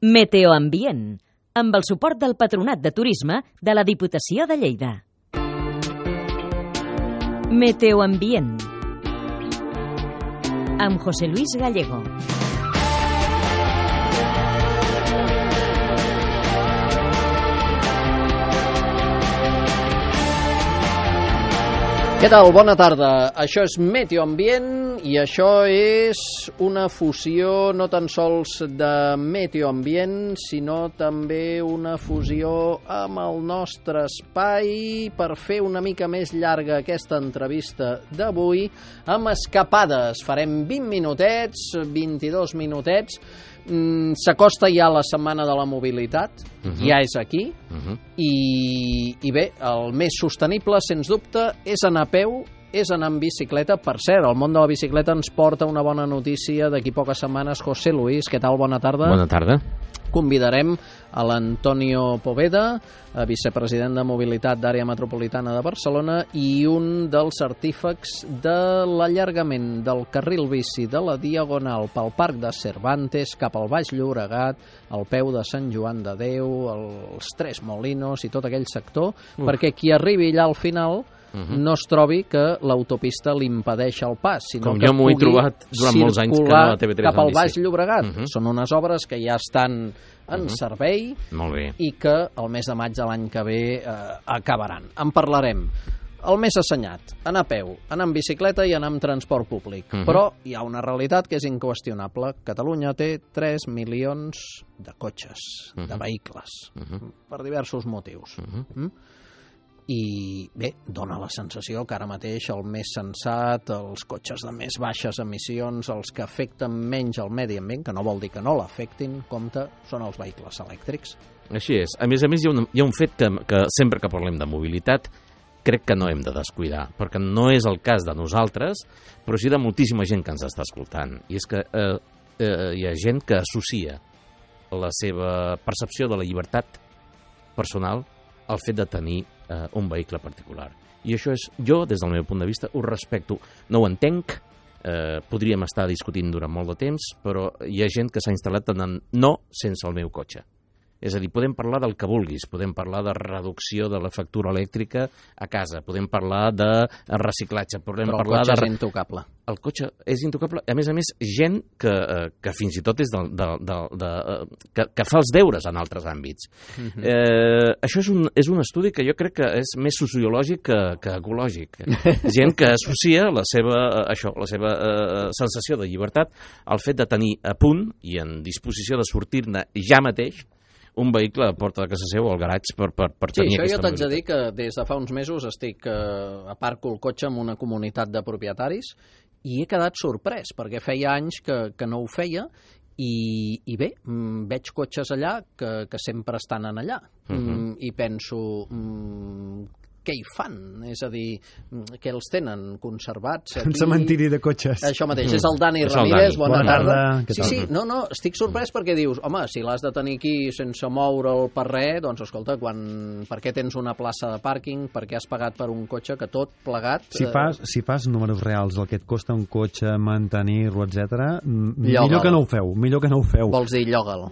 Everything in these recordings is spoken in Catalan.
Meteoambient, amb el suport del Patronat de Turisme de la Diputació de Lleida. Meteoambient, amb José Luis Gallego. Què tal? Bona tarda. Això és Meteoambient i això és una fusió no tan sols de Meteoambient, sinó també una fusió amb el nostre espai per fer una mica més llarga aquesta entrevista d'avui amb escapades. Farem 20 minutets, 22 minutets. S'acosta ja la setmana de la mobilitat, ja és aquí, i bé, el més sostenible, sens dubte, és anar a peu, és anar en bicicleta. Per cert, el món de la bicicleta ens porta una bona notícia d'aquí poques setmanes. José Luis, què tal? Bona tarda. Bona tarda. Convidarem a l'Antonio Poveda, vicepresident de Mobilitat d'Àrea Metropolitana de Barcelona i un dels artífecs de l'allargament del carril bici de la Diagonal pel Parc de Cervantes cap al Baix Llobregat, al peu de Sant Joan de Déu, els Tres Molinos i tot aquell sector, perquè qui arribi allà al final no es trobi que l'autopista li impedeix el pas, sinó que jo m'ho he trobat durant molts anys que anava a TV3 cap al Baix Llobregat. Són unes obres que ja estan en servei i que el mes de maig de l'any que ve acabaran. En parlarem. El més assenyat, anar a peu, anar en bicicleta i anar en transport públic. Però hi ha una realitat que és inqüestionable. Catalunya té 3 milions de cotxes, de vehicles, per diversos motius. I bé, dona la sensació que ara mateix el més sensat, els cotxes de més baixes emissions, els que afecten menys el medi ambient, que no vol dir que no l'afectin, compte, són els vehicles elèctrics. Així és. A més, hi ha un fet que sempre que parlem de mobilitat crec que no hem de descuidar, perquè no és el cas de nosaltres, però sí de moltíssima gent que ens està escoltant. I és que hi ha gent que associa la seva percepció de la llibertat personal al fet de tenir un vehicle particular. I això és, jo, des del meu punt de vista, ho respecto. No ho entenc, podríem estar discutint durant molt de temps, però hi ha gent que s'ha instal·lat en no sense el meu cotxe. És a dir, podem parlar del que vulguis, podem parlar de reducció de la factura elèctrica a casa, podem parlar de reciclatge, podem parlar de... Però el cotxe és intocable. El cotxe és intocable. A més, gent que fins i tot és que fa els deures en altres àmbits. Això és un estudi que jo crec que és més sociològic que ecològic. Gent que associa la seva sensació de llibertat al fet de tenir a punt i en disposició de sortir-ne ja mateix un vehicle a porta de casa seva o al garatge per tenir aquesta mobilitat. Sí, això jo t'haig de dir que des de fa uns mesos estic aparco el cotxe en una comunitat de propietaris i he quedat sorprès, perquè feia anys que no ho feia i bé, veig cotxes allà que sempre estan allà i penso... què hi fan? És a dir, què els tenen conservats aquí? Un cementiri de cotxes. Això mateix, és el Dani Ramírez, bona tarda. Sí, no, estic sorprès perquè dius, home, si l'has de tenir aquí sense moure'l per res, doncs escolta, per què tens una plaça de pàrquing, per què has pagat per un cotxe que tot plegat... Si fas números reals del que et costa un cotxe, mantenir-lo, etc., millor que no ho feu. Vols dir lloga'l.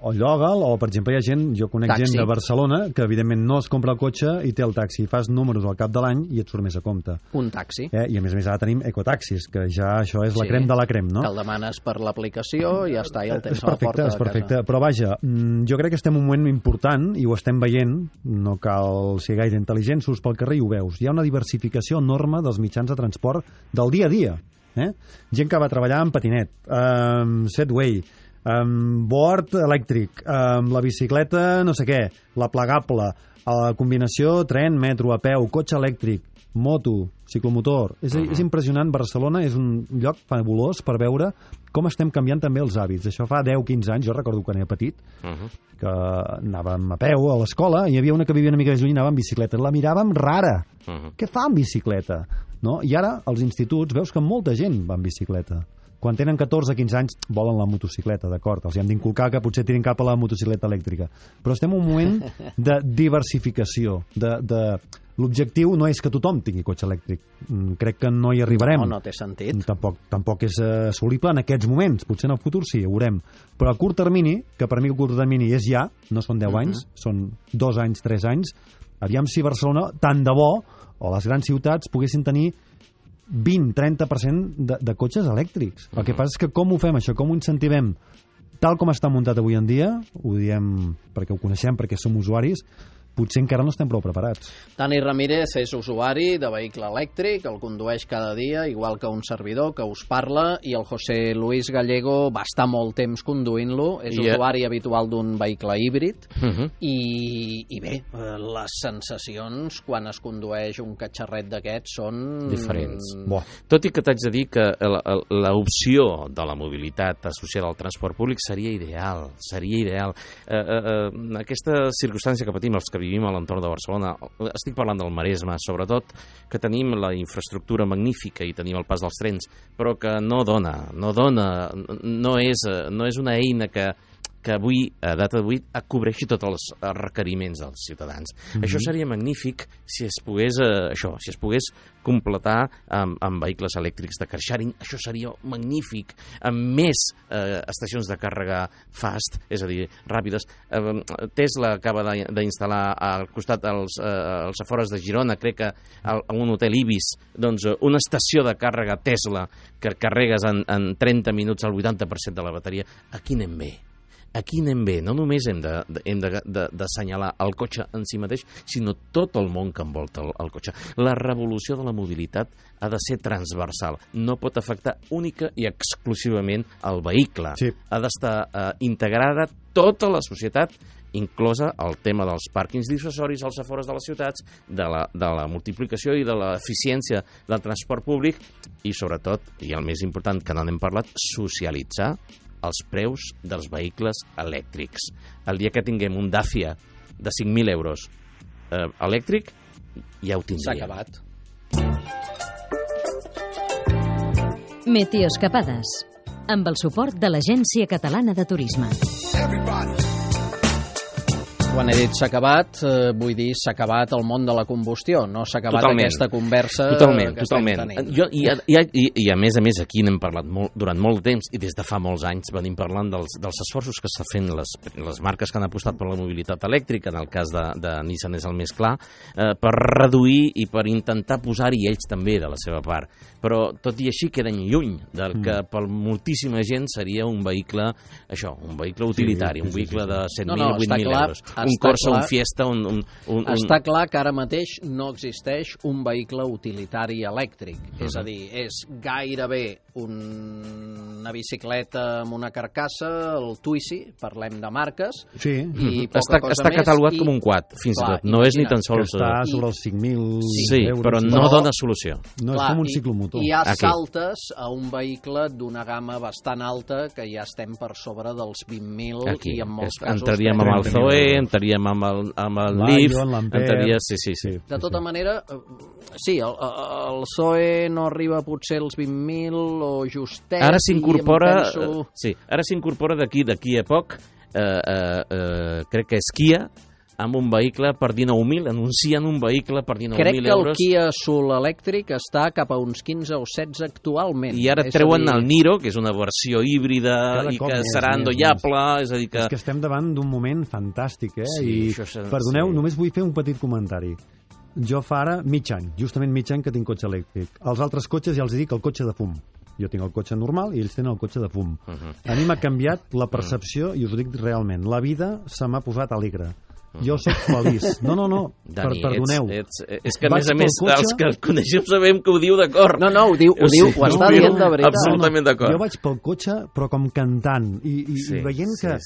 O lloga'l, o per exemple hi ha gent, jo conec gent de Barcelona que evidentment no es compra el cotxe i té el taxi. Fas números al cap de l'any i et surt més a compte. Un taxi. I a més ara tenim ecotaxis, que ja això és la crem de la crem, no? Que el demanes per l'aplicació i ja està, i el tens a la porta de casa. És perfecte, però vaja, jo crec que estem en un moment important i ho estem veient, no cal ser gaire intel·ligent, surts pel carrer i ho veus. Hi ha una diversificació enorme dels mitjans de transport del dia a dia. Gent que va treballar en patinet, Segway, board elèctric, la bicicleta no sé què, la plegable, a la combinació tren, metro, a peu, cotxe elèctric, moto, ciclomotor. És impressionant. Barcelona és un lloc fabulós per veure com estem canviant també els hàbits. Això fa 10-15 anys, jo recordo quan era petit, que anàvem a peu a l'escola i hi havia una que vivia una mica més lluny i anava en bicicleta. La miràvem rara. Què fa en bicicleta? No? I ara, als instituts, veus que molta gent va en bicicleta. Quan tenen 14-15 anys volen la motocicleta, d'acord, els hi hem d'inculcar que potser tirin cap a la motocicleta elèctrica, però estem en un moment de diversificació, de L'objectiu no és que tothom tingui cotxe elèctric. Crec que no hi arribarem. No té sentit. Tampoc és assolible en aquests moments. Potser en el futur sí, ho veurem. Però a curt termini, que per mi el curt termini és ja, no són 10 anys, són 2 anys, 3 anys, aviam si Barcelona, tant de bo, o les grans ciutats, poguessin tenir 20-30% de cotxes elèctrics. El que passa és que com ho fem això? Com ho incentivem? Tal com està muntat avui en dia, ho diem perquè ho coneixem, perquè som usuaris, potser encara no estem prou preparats. Dani Ramírez és usuari de vehicle elèctric, el condueix cada dia, igual que un servidor que us parla, i el José Luis Gallego va estar molt temps conduint-lo, és usuari habitual d'un vehicle híbrid, i bé, les sensacions quan es condueix un catxarret d'aquests són... diferents. Tot i que t'haig de dir que l'opció de la mobilitat associada al transport públic seria ideal, aquesta circumstància que patim els que vivim a l'entorn de Barcelona, estic parlant del Maresme, sobretot, que tenim la infraestructura magnífica i tenim el pas dels trens, però que no és una eina que avui, a data d'avui, cobreixi tots els requeriments dels ciutadans. Això seria magnífic si es pogués completar amb vehicles elèctrics de car sharing. Això seria magnífic, amb més estacions de càrrega fast, és a dir, ràpides. Tesla acaba d'instal·lar al costat, als afores de Girona, crec que a un hotel Ibis, doncs una estació de càrrega Tesla que carregues en 30 minuts el 80% de la bateria. Aquí anem bé. Aquí anem bé, no només hem d'assenyalar el cotxe en si mateix, sinó tot el món que envolta el cotxe. La revolució de la mobilitat ha de ser transversal, no pot afectar única i exclusivament el vehicle. Sí. Ha d'estar integrada tota la societat, inclosa el tema dels pàrquings dissuasoris als afores de les ciutats, de la multiplicació i de l'eficiència del transport públic i, sobretot, i el més important que no n'hem parlat, socialitzar els preus dels vehicles elèctrics. El dia que tinguem un Dacia de 5.000 euros elèctric, ja ho tindríem. S'ha acabat. Meteoscapades, amb el suport de l'Agència Catalana de Turisme. Quan he dit s'ha acabat, vull dir s'ha acabat el món de la combustió, no s'ha acabat aquesta conversa que estem tenint. I a més, aquí n'hem parlat durant molt temps, i des de fa molts anys venim parlant dels esforços que estan fent les marques que han apostat per la mobilitat elèctrica, en el cas de Nissan és el més clar, per reduir i per intentar posar-hi ells també de la seva part. Però tot i així queden lluny del que per moltíssima gent seria un vehicle utilitari, un vehicle de 7.000 o 8.000 euros. Un Corsa, un Fiesta, Està clar que ara mateix no existeix un vehicle utilitari elèctric. És a dir, és gairebé una bicicleta amb una carcassa, el Twizy, parlem de marques, i poca cosa més. Està catalogat com un quad, fins i tot. No és ni tan sols... Està sobre els 5.000 sí, euros. Però no dona solució. No és com un ciclomotor. I ha saltes a un vehicle d'una gamma bastant alta, que ja estem per sobre dels 20.000 i en molts casos... Entraríem amb el Zoe, entraríem amb el Leaf, entraria... Sí. De tota manera, sí, el Zoe no arriba potser als 20.000 o justet... Ara s'incorpora d'aquí a poc, crec que és Kia, amb un vehicle per 19.000, anuncien un vehicle per 19.000 euros. Crec que el Kia Soul elèctric està cap a uns 15 o 16 actualment. I ara treuen el Niro, que és una versió híbrida i que serà endollable, és a dir que... És que estem davant d'un moment fantàstic, I, perdoneu, només vull fer un petit comentari. Jo fa ara mig any que tinc cotxe elèctric. Els altres cotxes ja els dic el cotxe de fum. Jo tinc el cotxe normal i ells tenen el cotxe de fum. A mi m'ha canviat la percepció, i us ho dic realment. La vida se m'ha posat alegre. Jo sóc feliç. No, Dani, perdoneu. És que, a més, els que el coneixem sabem que ho diu d'acord. No, ho diu, ho està dient de veritat. Absolutament d'acord. Jo vaig pel cotxe, però com cantant, i veient que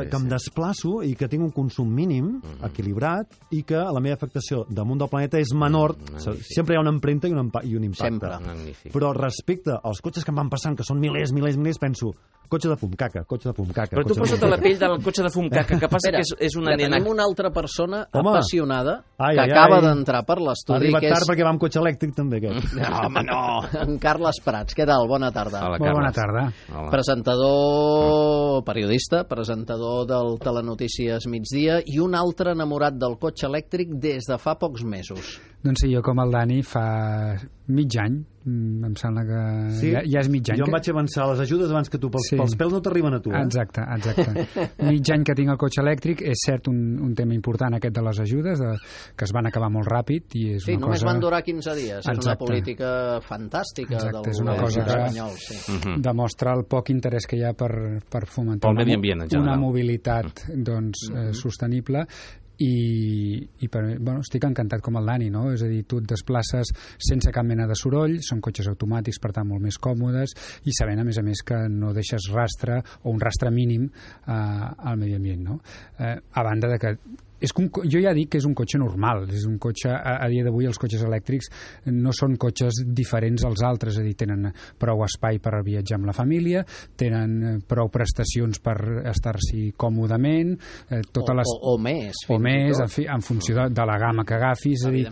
em desplaço i que tinc un consum mínim, equilibrat, i que la meva afectació damunt del planeta és menor. Sempre hi ha una empremta i un impacte. Sempre. Però respecte als cotxes que em van passant, que són milers, penso, cotxe de fum, caca. Però tu posa't a la pell del cotxe de fum, caca, que passa que és una nena... Tenim una altra persona apassionada que acaba d'entrar per l'estudi. Ha arribat tard perquè va amb cotxe elèctric també, aquest. No, home, no. En Carles Prats, què tal? Bona tarda. Molt bona tarda. Presentador, periodista, presentador del Telenotícies Migdia i un altre enamorat del cotxe elèctric des de fa pocs mesos. Doncs sí, jo com el Dani fa mig any, em sembla que ja és mig any. Jo em vaig avançar a les ajudes abans que tu, pels pèls no t'arriben a tu. Exacte. Mig any que tinc el cotxe elèctric, és cert un tema important aquest de les ajudes, que es van acabar molt ràpid. I és una només cosa... van durar 15 dies. Exacte. És una política fantàstica del govern espanyol. Sí. Demostra el poc interès que hi ha per fomentar una mobilitat sostenible. I estic encantat com el Dani, no? És a dir, tu et desplaces sense cap mena de soroll, són cotxes automàtics, per tant molt més còmodes, i sabent a més que no deixes rastre o un rastre mínim al medi ambient, no? A banda de que jo ja dic que és un cotxe normal, és un cotxe, a dia d'avui els cotxes elèctrics no són cotxes diferents als altres, és a dir, tenen prou espai per viatjar amb la família, tenen prou prestacions per estar-s'hi còmodament, o més, en funció de la gamma que agafis, és a dir,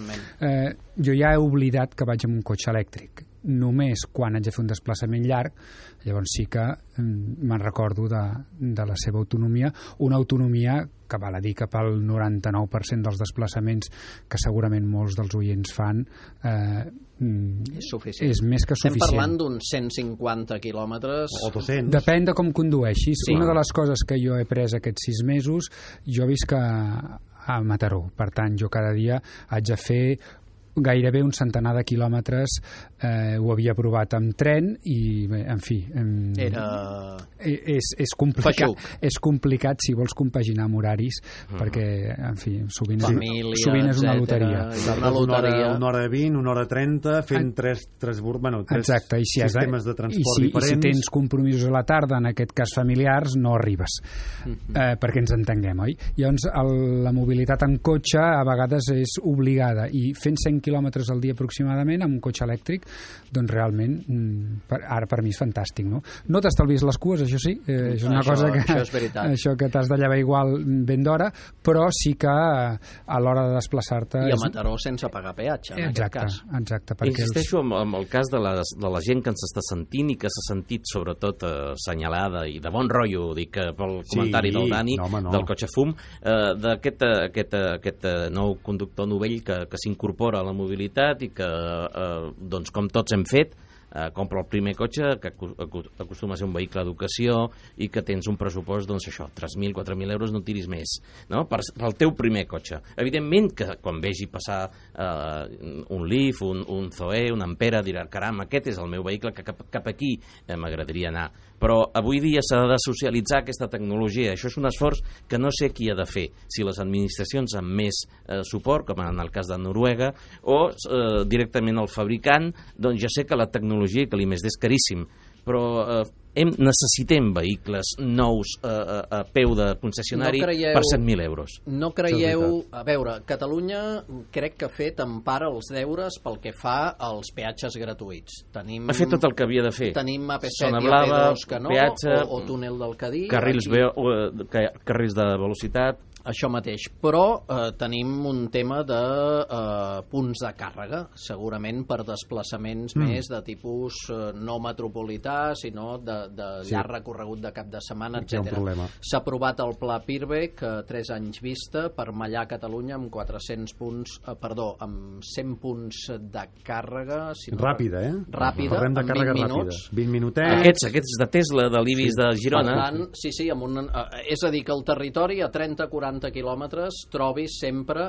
jo ja he oblidat que vaig amb un cotxe elèctric, només quan haig de fer un desplaçament llarg, llavors sí que me'n recordo de la seva autonomia, una autonomia que val a dir que pel 99% dels desplaçaments que segurament molts dels oients fan és més que suficient. Estem parlant d'uns 150 quilòmetres o 200. Depèn de com condueixis. Sí. Una de les coses que jo he pres aquests 6 mesos, jo visc a Mataró, per tant jo cada dia haig de fer gairebé un centenar de quilòmetres, ho havia provat amb tren i, bé, en fi... És complicat. És complicat si vols compaginar amb horaris, perquè, en fi, sovint és una loteria. Una hora 20, una hora 30, fent tres sistemes de transport diferents. I si tens compromisos a la tarda, en aquest cas familiars, no arribes, perquè ens entenguem, oi? Llavors, la mobilitat en cotxe a vegades és obligada, i fent 100 quilòmetres al dia aproximadament amb un cotxe elèctric, doncs realment ara per mi és fantàstic, no? No t'estalvis les cues, això sí, és una cosa que això que t'has de llevar igual ben d'hora, però sí que a l'hora de desplaçar-te... I a Mataró sense pagar peatge, en aquest cas. Exacte. Insisteixo en el cas de la gent que ens està sentint i que s'ha sentit sobretot assenyalada i de bon rotllo, dic, pel comentari del Dani, del cotxe fum, d'aquest nou conductor novell que s'incorpora a la mobilitat i que, doncs, com tots hem fet, compra el primer cotxe, que acostuma a ser un vehicle d'educació i que tens un pressupost, doncs això, 3.000, 4.000 euros, no tiris més, no? Pel teu primer cotxe. Evidentment que quan vegi passar un Leaf, un Zoe, un Ampera, dirà, caram, aquest és el meu vehicle, que cap aquí m'agradaria anar. Però avui dia s'ha de socialitzar aquesta tecnologia. Això és un esforç que no sé qui ha de fer, si les administracions amb més suport, com en el cas de Noruega, o directament el fabricant. Doncs ja sé que la tecnologia que l'IMSD és caríssim, però necessitem vehicles nous a peu de concessionari per 100.000 euros. No creieu... A veure, Catalunya crec que ha fet en part els deures pel que fa als peatges gratuïts. Ha fet tot el que havia de fer. Tenim AP7 i AP2 que no, peatge, o túnel del Cadí. Carrils de velocitat. Això mateix, però tenim un tema de punts de càrrega, segurament per desplaçaments més de tipus no metropolità, sinó de llarg recorregut de cap de setmana, etc. S'ha aprovat el pla Pirvec a 3 anys vista per mallar Catalunya amb 400 punts, amb 100 punts de càrrega. Ràpida, Ràpida, en 20 minuts. 20 minutets. Aquests de Tesla, de l'Ibis de Girona. Per tant, sí, és a dir, que el territori a 30-40 quilòmetres trobis sempre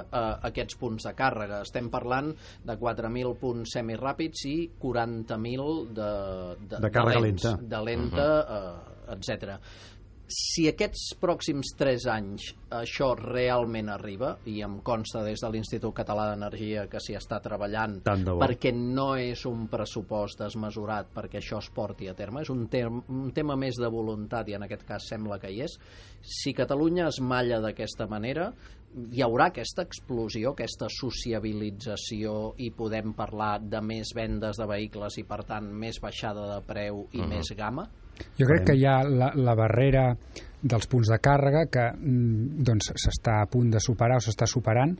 aquests punts de càrrega. Estem parlant de 4.000 punts semiràpids i 40.000 de càrrega lenta, etc. Si aquests pròxims 3 anys això realment arriba, i em consta des de l'Institut Català d'Energia que s'hi està treballant, perquè no és un pressupost desmesurat perquè això es porti a terme, és un tema més de voluntat, i en aquest cas sembla que hi és. Si Catalunya es malla d'aquesta manera, hi haurà aquesta explosió, aquesta sociabilització, i podem parlar de més vendes de vehicles i, per tant, més baixada de preu i més gamma? Jo crec que hi ha la barrera dels punts de càrrega que doncs s'està a punt de superar o s'està superant.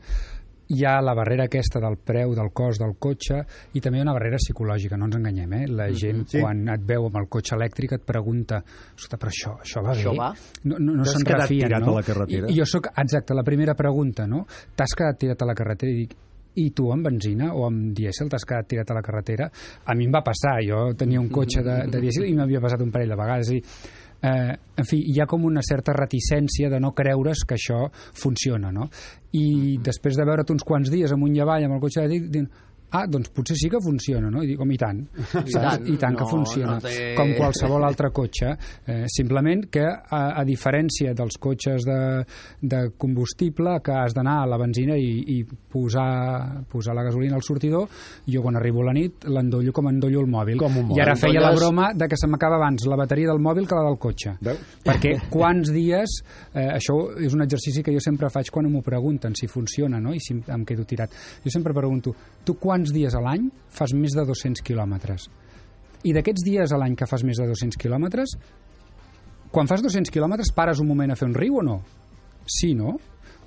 Hi ha la barrera aquesta del preu, del cost del cotxe, i també hi ha una barrera psicològica, no ens enganyem, La gent, quan et veu amb el cotxe elèctric, et pregunta, ostres, però això va bé? Això va? No se'n refien, no? A la carretera? I jo soc, exacte, la primera pregunta, no? T'has quedat tirat a la carretera? I dic, i tu amb benzina o amb dièsel t'has quedat tirat a la carretera. A mi em va passar, jo tenia un cotxe de dièsel i m'havia passat un parell de vegades. En fi, hi ha com una certa reticència de no creure's que això funciona, no? I després de veure't uns quants dies amunt i avall amb el cotxe elèctric, diuen, doncs potser sí que funciona, no? I dic, i tant, i tant que funciona, com qualsevol altre cotxe, simplement que a diferència dels cotxes de combustible que has d'anar a la benzina i posar la gasolina al sortidor, jo quan arribo a la nit l'endollo com endollo el mòbil, i ara feia la broma de que se m'acaba abans la bateria del mòbil que la del cotxe. Perquè quants dies, això és un exercici que jo sempre faig quan m'ho pregunten si funciona, no? I si em quedo tirat, jo sempre pregunto, tu quants dies a l'any fas més de 200 quilòmetres? I d'aquests dies a l'any que fas més de 200 quilòmetres, quan fas 200 quilòmetres pares un moment a fer un riu o no? Sí, no?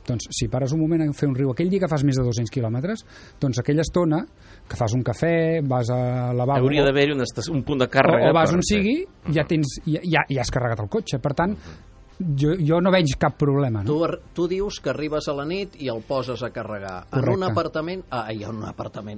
Doncs si pares un moment a fer un riu aquell dia que fas més de 200 quilòmetres, doncs aquella estona que fas un cafè, vas a lavabo... Hauria d'haver-hi un punt de càrrega. O vas on sigui, ja has carregat el cotxe. Per tant, jo no veig cap problema, no? Tu dius que arribes a la nit i el poses a carregar. Correcte.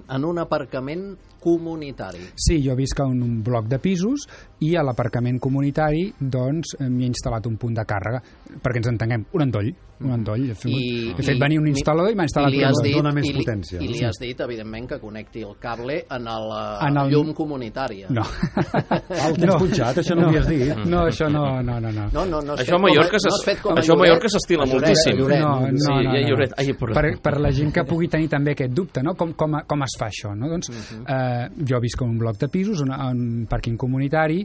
En un aparcament comunitari. Sí, jo visc en un bloc de pisos i a l'aparcament comunitari doncs m'hi he instal·lat un punt de càrrega, perquè ens entenguem, un endoll. He fet venir un instal·lador i m'ha instal·lat un endoll. Dona més potència. I li has dit, evidentment, que connecti el cable en la llum comunitària. No. El tens punxat, això no ho havies dit. No, això no. Això a Mallorca s'estila moltíssim. Per la gent que pugui tenir també aquest dubte, no? Com es fa això, no? Doncs jo visc en un bloc de pisos, en un pàrquing comunitari,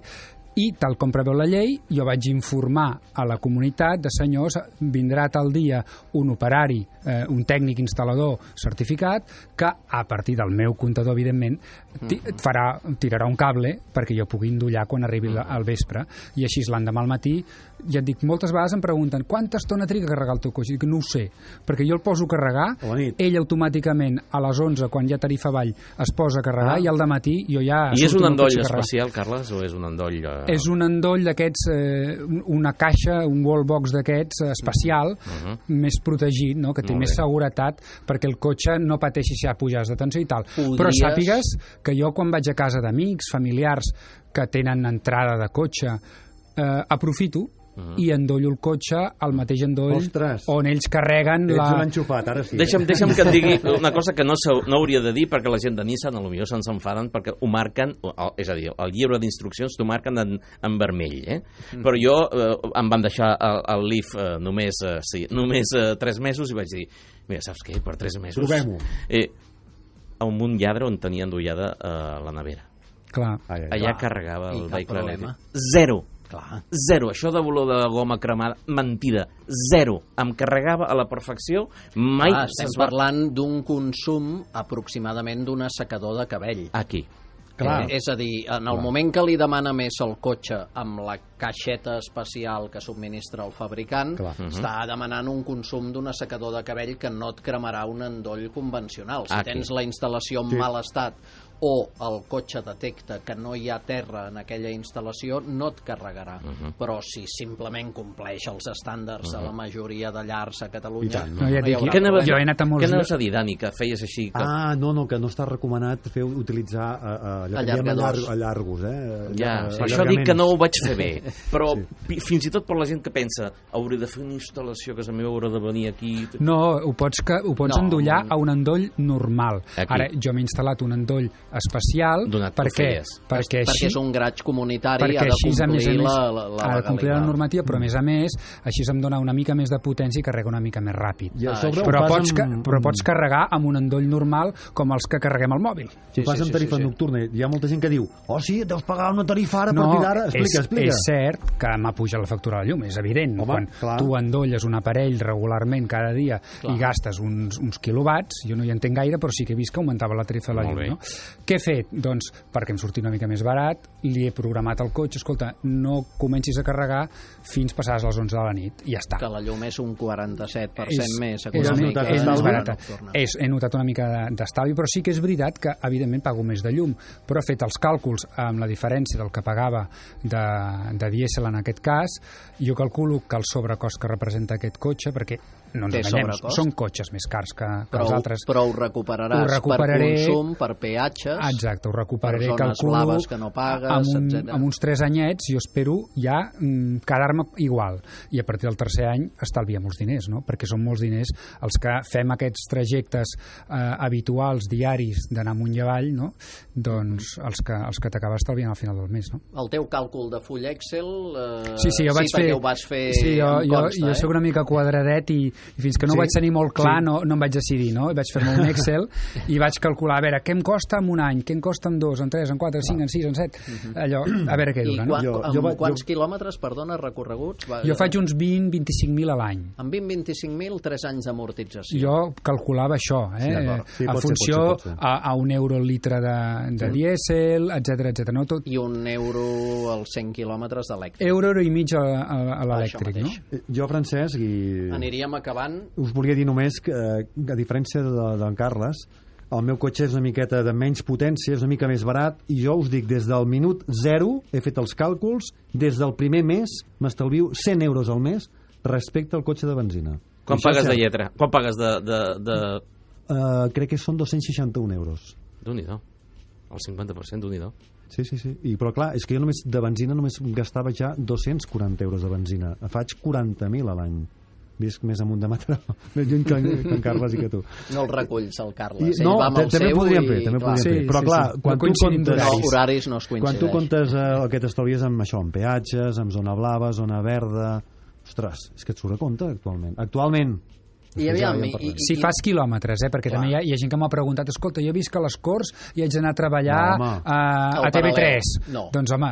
i tal com preveu la llei, jo vaig informar a la comunitat de senyors, vindrà tal dia un operari, un tècnic instal·lador certificat, que a partir del meu comptador, evidentment, tirarà un cable perquè jo pugui endollar quan arribi al vespre, i així l'endemà al matí, ja et dic, moltes vegades em pregunten quanta estona triga a carregar el teu cotxe? Dic, no ho sé, perquè jo el poso a carregar, ell automàticament a les 11, quan ja tarifa avall, es posa a carregar, i al dematí jo ja... I és un endoll especial, Carles, o és un endoll... És un endoll d'aquests, una caixa, un wallbox d'aquests especial, més protegit, no? Que té més seguretat perquè el cotxe no pateixi si hi ha pujades de tensió i tal. Però sàpigues que jo quan vaig a casa d'amics, familiars que tenen entrada de cotxe, aprofito i endollo el cotxe al mateix endoll on ells carreguen Ets un enxufat, ara sí. Deixa'm que et digui una cosa que no hauria de dir, perquè la gent de Nissan potser se'ns enfaden perquè ho marquen, és a dir, el llibre d'instruccions t'ho marquen en vermell, però jo em van deixar el Leaf només 3 mesos i vaig dir, mira, saps què? Per 3 mesos... Provem-ho. A un lladre on tenia endollada la nevera. Clar. Allà carregava el vehicle elèctric. Zero. Això de volor de goma cremada, mentida. Zero. Em carregava a la perfecció. Mai... Estem parlant d'un consum aproximadament d'un assecador de cabell. Aquí. És a dir, en el moment que li demana més el cotxe amb la caixeta especial que subministra el fabricant, està demanant un consum d'un assecador de cabell que no et cremarà un endoll convencional. Si tens la instal·lació en mal estat o el cotxe detecta que no hi ha terra en aquella instal·lació, no et carregarà. Però si simplement compleix els estàndards a la majoria de llars a Catalunya... Què anaves a dir, Dani, que feies així? Que no està recomanat utilitzar allargos. Per això dic que no ho vaig fer bé. Però fins i tot per la gent que pensa hauré de fer una instal·lació a casa meva, hauré de venir aquí... No, ho pots endollar a un endoll normal. Ara, jo m'he instal·lat un endoll especial perquè és un graig comunitari, ha de complir la normativa, però a més així em dona una mica més de potència i carrega una mica més ràpid. Però pots carregar amb un endoll normal com els que carreguem al mòbil. Ho fas amb tarifa nocturna. Hi ha molta gent que diu, sí, deus pagar una tarifa ara a partir d'ara. Explica. És cert que m'ha pujat la factura de la llum, és evident. Quan tu endolles un aparell regularment cada dia i gastes uns quilowatts, jo no hi entenc gaire, però sí que he vist que augmentava la tarifa de la llum, no? Què he fet? Doncs, perquè em surti una mica més barat, li he programat el cotxe, escolta, no comencis a carregar fins passades les 11 de la nit, i ja està. Que la llum és un 47% més econòmica. És més barata. He notat una mica d'estalvi, però sí que és veritat que, evidentment, pago més de llum, però he fet els càlculs amb la diferència del que pagava de de dièsel en aquest cas. Jo calculo que el sobrecost que representa aquest cotxe, perquè no ens enganyem, són cotxes més cars que els altres. Però ho recuperaràs per consum, per peatges, exacte, ho recuperaré, per zones blaves que no pagues, etc. Amb uns 3 anyets jo espero ja quedar-me igual, i a partir del tercer any estalviem els diners, no? Perquè són molts diners els que fem aquests trajectes habituals, diaris, d'anar amunt i avall, no? Doncs els que t'acabes estalviant al final del mes, no? El teu càlcul de full Excel sí, jo vaig fer, ho vas fer jo soc una mica quadradet i fins que no ho vaig tenir molt clar no em vaig decidir, no? Vaig fer-me un Excel i vaig calcular, a veure, què em costa en un any, què em costa en 2, en 3, en 4, en 5, en 6, en 7, allò, a veure què dura, no? I quants quilòmetres, perdona, recorreguts? Jo faig uns 20-25.000 a l'any. En 20-25.000, 3 anys d'amortització. Jo calculava això, en funció a €1 el litre de dièsel, etc. No? I €1 als 100 quilòmetres d'elèctric. Euro i mig a l'elèctric, no? Jo, Francesc, i aniríem acabant. Us volia dir només que, a diferència d'en Carles, el meu cotxe és una miqueta de menys potència, és una mica més barat, i jo us dic, des del minut 0 he fet els càlculs, des del primer mes m'estalvio €100 al mes respecte al cotxe de benzina. Quan pagues de lletra? Quan pagues de... Crec que són €261. Déu-n'hi-do. El 50% d'un-hi-do. Sí. Però clar, és que jo només de benzina només gastava ja €240 de benzina. Faig 40.000 a l'any. Visc més amunt de Mataró, més lluny que en Carles i que tu. No el reculls, el Carles. No, també podríem fer. Però clar, quan tu comptes horaris no es coincideix. Quan tu comptes el que t'estalvies amb això, amb peatges, amb zona blava, zona verda... Ostres, és que et surt a compte actualment. Si fas quilòmetres, perquè també hi ha gent que m'ha preguntat, escolta, jo visc a les Corts i haig d'anar a treballar a TV3. Doncs home,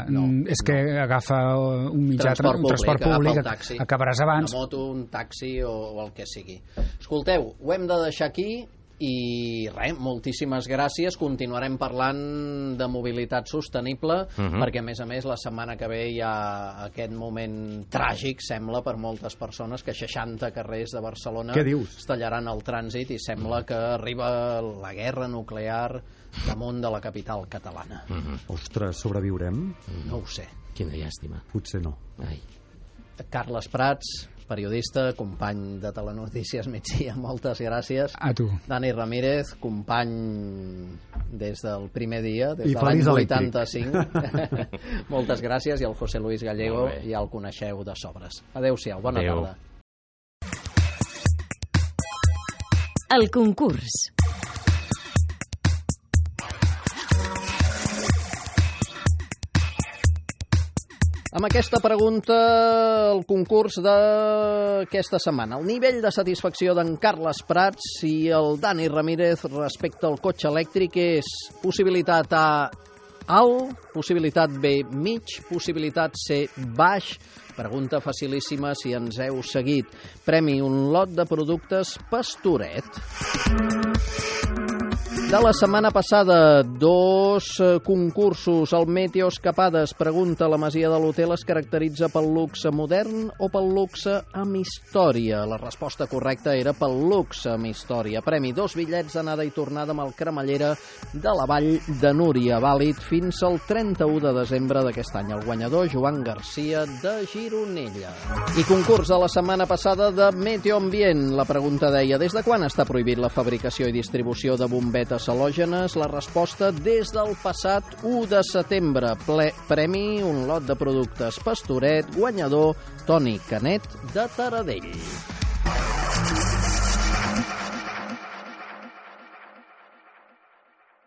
és que agafa un mitjà transport públic, acabaràs abans. Una moto, un taxi o el que sigui. Escolteu, ho hem de deixar aquí i res, moltíssimes gràcies. Continuarem parlant de mobilitat sostenible, perquè a més la setmana que ve hi ha aquest moment tràgic, sembla, per moltes persones, que 60 carrers de Barcelona es tallaran el trànsit i sembla que arriba la guerra nuclear damunt de la capital catalana. Ostres, sobreviurem? No ho sé. Quina llàstima. Potser no. Carles Prats, periodista, company de Telenotícies Migdia, moltes gràcies. A tu. Dani Ramírez, company des del primer dia, des de l'any 85. Moltes gràcies. I el José Luis Gallego ja el coneixeu de sobres. Adéu-siau, bona tarda. El concurs. Amb aquesta pregunta, el concurs d'aquesta setmana. El nivell de satisfacció d'en Carles Prats i el Dani Ramírez respecte al cotxe elèctric és possibilitat A, alt, possibilitat B, mig, possibilitat C, baix. Pregunta facilíssima si ens heu seguit. Premi un lot de productes Pastoret. De la setmana passada, 2 concursos. El Meteo Escapades pregunta: la masia de l'hotel es caracteritza pel luxe modern o pel luxe amb història? La resposta correcta era pel luxe amb història. Premi 2 bitllets d'anada i tornada amb el Cremallera de la Vall de Núria, vàlid fins al 31 de desembre d'aquest any. El guanyador, Joan Garcia, de Gironella. I concurs de la setmana passada de Meteo Ambient. La pregunta deia: des de quan està prohibit la fabricació i distribució de bombetes halògenes? La resposta: des del passat 1 de setembre. Premi un lot de productes Pastoret, guanyador Toni Canet de Taradell.